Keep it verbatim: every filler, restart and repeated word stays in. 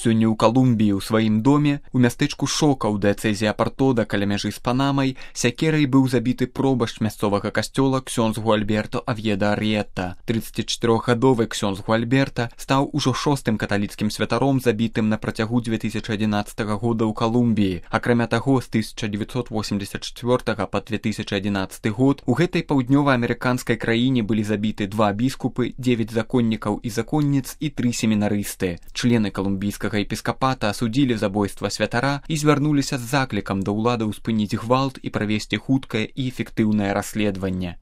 Сёння ў Калумбіі ў сваім доме у мястэчку Шока ў дыяцэзе Апартода каля мяжы з Панамай сякерай быў забіты пробашч мясцовага касцёла ксёндз Гуальберто Авьеда Арьета. трыццацічатырохгадовы ксёндз Гуальберта стаў ужо шостым каталіцкім святаром, забітым на працягу дзве тысячы адзінаццатага года ў Калумбіі. Акрамя таго, з тысяча дзевяцьсот восемьдесят чвёртага па две тысячи адзінаццаты год у гэтай паўднёва-амерыканскай краіне былі забіты два біскупы, дзевяць законнікаў і законніц і тры семінарысты. Члены калумбійскага епіскапата асудзілі забойства святара і звярнуліся з заклікам да ўладаў спыніць гвалт і правесці хуткае і эфектыўнае расследаванне.